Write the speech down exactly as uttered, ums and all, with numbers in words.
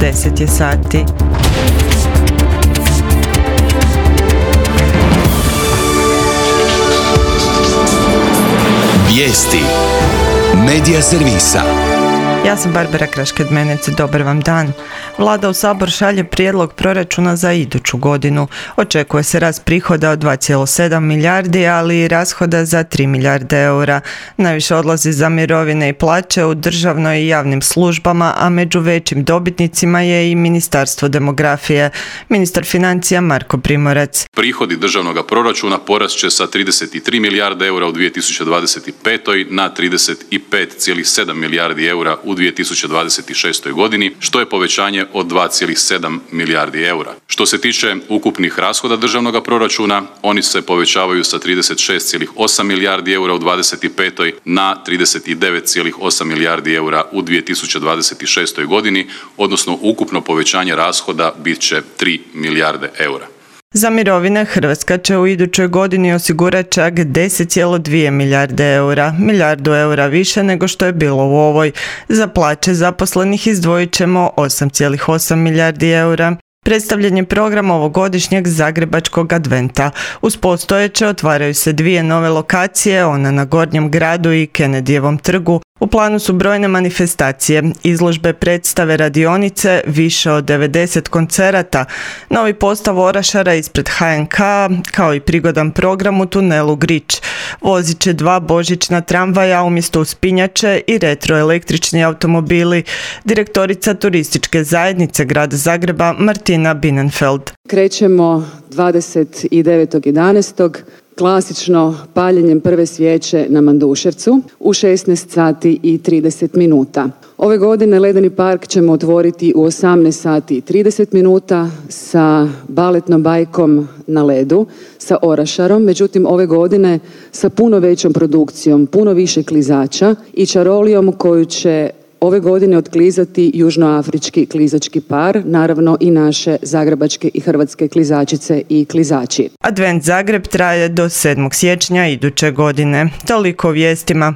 deset je sati. Vijesti Medija servisa. Ja sam Barbara Krašked-Menec, dobar vam dan. Vlada u Sabor šalje prijedlog proračuna za iduću godinu. Očekuje se rast prihoda od dva zarez sedam milijardi, ali i rashoda za tri milijarde eura. Najviše odlazi za mirovine i plaće u državnoj i javnim službama, a među većim dobitnicima je i Ministarstvo demografije. Ministar financija Marko Primorac. Prihodi državnog proračuna porast će sa trideset tri milijarde eura u dvije tisuće dvadeset pet. na trideset pet zarez sedam milijardi eura u dvije tisuće dvadeset šestoj. godini, što je povećanje od dva zarez sedam milijardi eura. Što se tiče ukupnih rashoda državnog proračuna, oni se povećavaju sa trideset šest zarez osam milijardi eura u dvadeset petoj. na trideset devet zarez osam milijardi eura u dvije tisuće dvadeset šestoj. godini, odnosno ukupno povećanje rashoda bit će tri milijarde eura. Za mirovine Hrvatska će u idućoj godini osigurati čak deset zarez dvije milijarde eura, milijardu eura više nego što je bilo u ovoj. Za plaće zaposlenih izdvojit ćemo osam zarez osam milijardi eura. Predstavljen je program ovogodišnjeg Zagrebačkog adventa. Uz postojeće otvaraju se dvije nove lokacije, ona na Gornjem gradu i Kennedyjevom trgu. U planu su brojne manifestacije, izložbe, predstave, radionice, više od devedeset koncerata, novi postav Orašara ispred ha en ka, kao i prigodan program u tunelu Grič. Vozit će dva božićna tramvaja umjesto uspinjače i retroelektrični automobili. Direktorica turističke zajednice Grada Zagreba Martina Binenfeld. Krećemo dvadeset devetog jedanaestog klasično paljenjem prve svijeće na Manduševcu u šesnaest sati i trideset minuta. Ove godine Ledeni park ćemo otvoriti u osamnaest sati i trideset minuta sa baletnom bajkom na ledu, sa Orašarom, međutim ove godine sa puno većom produkcijom, puno više klizača i čarolijom koju će ove godine otklizati južnoafrički klizački par, naravno i naše zagrebačke i hrvatske klizačice i klizači. Advent Zagreb traje do sedmog siječnja iduće godine. Toliko o vijestima.